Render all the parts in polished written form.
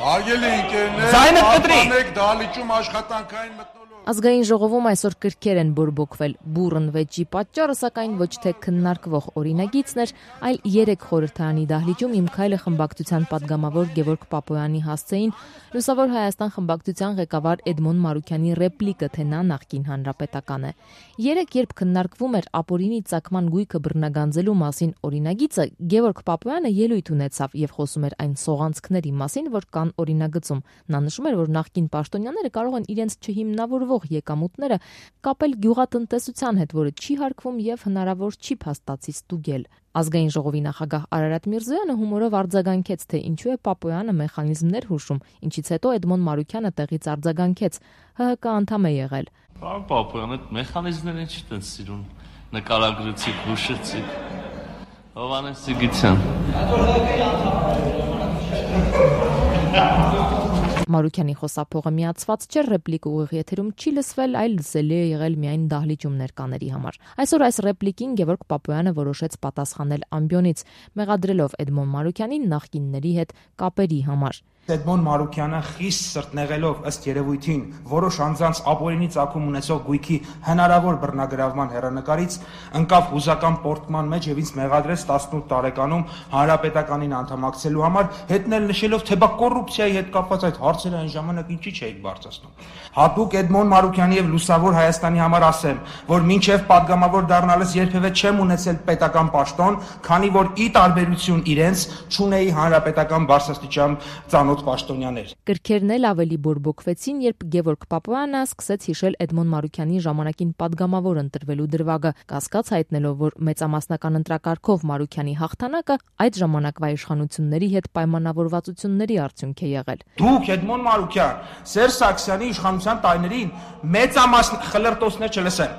Արգելի ընկերներ, դահլիճում աշխատանքային մթնոլորտ։ Ազգային ժողովում այսօր կրքեր են բորբոքվել։ Բուռն վեճի պատճառը սակայն ոչ թե քննարկվող օրինագիծն էր, այլ 3 խորհրդարանի դահլիճում Իմ քայլը խմբակցության падգամավոր Գևորգ Պապոյանի հասցեին Լուսավոր Հայաստան խմբակցության ղեկավար Էդմոն Մարուքյանի ռեպլիկը, թե նա նախկին հանրապետական է։ Երբ քննարկվում էր ապօրինի ծագման գույքը բռնագանձելու մասին օրինագիծը, Գևորգ Պապոյանը ելույթ ունեցավ եւ խոսում էր այն սողանցքների մասին, որ կան օրինագծում։ Նա նշում էր, որ նախկին պաշտոնյաները կարող են իրենց չհիմնավորվող եկամուտները կապել գյուղատնտեսության հետ, որը չի հարկվում եւ հնարավոր չի փաստացի ստուգել։ Ազգային ժողովի նախագահ Արարատ Միրզոյանը հումորով արձագանքեց, թե ինչու է Պապոյանը մեխանիզմներ հուշում, ինչից հետո Էդմոն Մարուքյանը տեղից արձագանքեց, ՀՀԿ անդամ է եղել։ Պապոյանը մեխանիզմներն չի տենց սիրուն, նկարագրեցիք, հուշեցիք։ Հովհաննես Սիգիցյան։ Մարուքյանի խոսափողը միացված չէր, ռեպլիկը ուղիղ եթերում չի լսվել, այլ լսելի է եղել միայն դահլիճում ներկաների համար։ Այսօր այս ռեպլիկին Գևորգ Պապոյանը որոշեց պատասխանել ամբիոնից, մեղադրելով Էդմոն Մարուքյանին նախկինների հետ կապերի համար։ Էդմոն Մարուքյանը խիստ սրտնեղելով ըստ երևույթին որոշ անձանց ապօրինի ծագում ունեցող գույքի հնարավոր բռնագրավման հեռանկարից ընկավ հուզական պորտման մեջ եւ ինձ մեղադրեց 18 տարեկանում հանրապետականին անդամակցելու համար, հետնել նշելով, թե բա կոռուպցիայի հետ կապված այդ հարցերը այն ժամանակ ինչի չէիք բարձրացնում։ Հատուկ Էդմոն Մարուքյանի եւ Լուսավոր Հայաստանի համար ասեմ, որ մինչեւ падգամավոր դառնալս երբևէ չեմ ունեցել պետական պաշտոն, քանի որ ի տարբերություն իրենց չունեի հանրապետական բարձրաստիճան ծանոթ պաշտոնյաներ։ Կրքերն էլ ավելի բորբոքվեցին, երբ Գևորգ Պապոյանը սկսեց հիշել Էդմոն Մարուքյանի ժամանակին падգամավոր ընտրվելու դրվագը, կասկած հայտնելով, որ մեծամասնական ընտրակարգով Մարուքյանի հաղթանակը այդ ժամանակվա իշխանությունների հետ պայմանավորվածությունների արդյունք է եղել։ Դուք Էդմոն Մարուքյան, Սերժ Սարգսյանի իշխանության տարիներին խլրտոսներ չլսեն։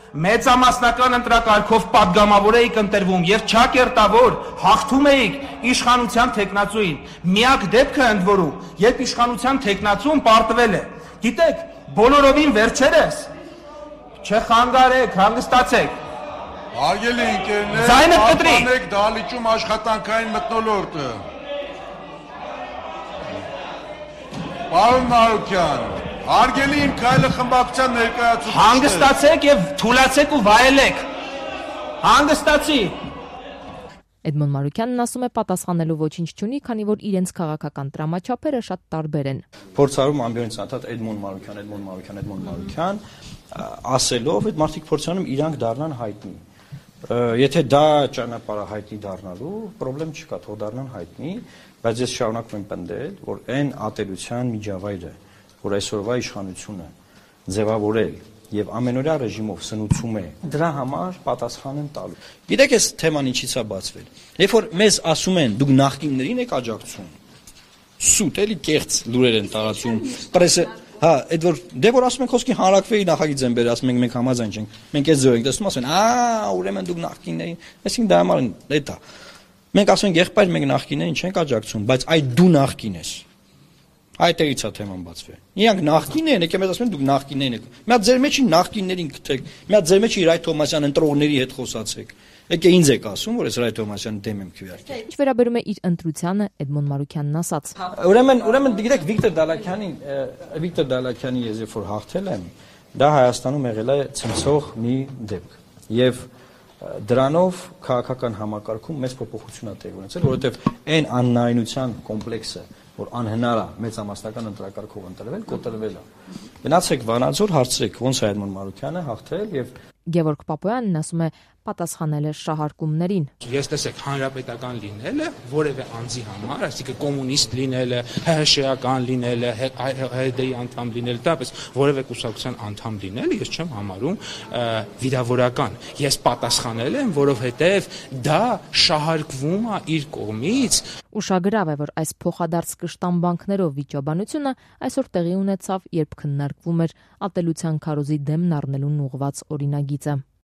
Մեծամասնական ընտրակարգով падգամավոր էիք ընտրվում եւ չակերտավոր հաղթում էիք իշխանության տեխնացուին։ Միակ դեպքը ընդ որում, երբ իշխանության տեխնացուն պարտվել է։ Գիտեք, բոլորովին վերջերս չխանգարեք, հանգստացեք։ Արգելի ընկերներ, պահպանեք դահլիճում աշխատանքային մթնոլորտը։ Պարոն Մարուքյան, արգելի Իմ քայլը խմբակցության ներկայացուցիչ։ Հանգստացեք եւ թուլացեք ու վայելեք։ Հանգստացի։ Էդմոն Մարուքյանն ասում է պատասխանելու ոչինչ չունի, քանի որ իրենց քաղաքական տրամաչափերը շատ տարբեր են։ Փորձարում ամբիոնից անդադ Էդմոն Մարուքյան, ասելով այդ մարդիկ փորձանում իրանք դառնան հայտնի։ Եթե դա ճանապարհը հայտնի դառնալու, խնդրեմ չկա, թող դառնան հայտնի, բայց ես շարունակում եմ պնդել, որ այն ատելության միջավայրը, որ այսօրվա իշխանությունը ձևավորել եւ ամենօրյա ռեժիմով սնուցում է, դրա համար պատասխան են տալու։ Գիտեք, այս թեման ինչից է բացվել։ Երբ որ մեզ ասում են, դուք նախկիններին եք աջակցում, սուտ էլի կեղծ լուրեր են տարածում, պրեսը, հա, այդ որ ասում են խոսքի հանրակրվեի նախագիծ են բերել, ասում ենք մենք համաձայն չենք, մենք այս ձև ենք տեսնում, ասում են, ուրեմն դուք նախկիններին, այսինքն դա համար էդ է։ Մենք ասում ենք, եղբայր, մենք նախկիններին չենք աջակցում, բայց այդ դու նախկին ես։ Այդտեղից է թեման բացվել։ Իրանք նախկին են, եկեք մեզ ասում են դուք նախկիններին եք։ Մի հատ ձեր մեջ նախկիններին գտեք, մի հատ ձեր մեջ Իրայ Թոմասյան ընտրողների հետ խոսացեք։ Եկե ինձ եք ասում, որ ես Իրայ Թոմասյանի դեմ եմ քվեարկել։ Ինչ վերաբերում է իր ընտրությանը, Էդմոն Մարուքյանն ասաց։ Ուրեմն գիտեք Վիկտոր Դալաքյանին ես երբ որ հաղթել եմ, դա Հայաստանում եղել է ցնցող մի դեպք։ Եվ դրանով քաղաքական համակարգում մեծ փոփոխություն է տեղի ունեցել, որովհետև այն աննայնության կոմպլեքսը, որ անհնար է մեծամասնական ընտրակարգով ընտրվել, կոտրվել է։ Գնացեք Վանաձոր, հարցրեք ոնց է Էդմոն Մարուքյանը հաղթել եւ Գևորգ Պապոյանն ասում է պատասխանել է շահարկումներին։ Ես տեսեք, հանրապետական լինելը որևէ անձի համար, այսինքն կոմունիստ լինելը, ՀՀՇ-ական լինելը, ՀԴ-ի անդամ լինելը, դեպս որևէ կուսակցության անդամ լինելը ես չեմ համարում վիրավորական։ Ես պատասխանել եմ, որովհետև դա շահարկվում է իր կողմից։ Ուշագրավ է, որ այս փոխադարձ կշտամբանքներով վիճաբանությունը այսօր տեղի ունեցավ, երբ քննարկվում էր ատելության քարոզի դեմն առնելուն ուղղված օրինագիծը։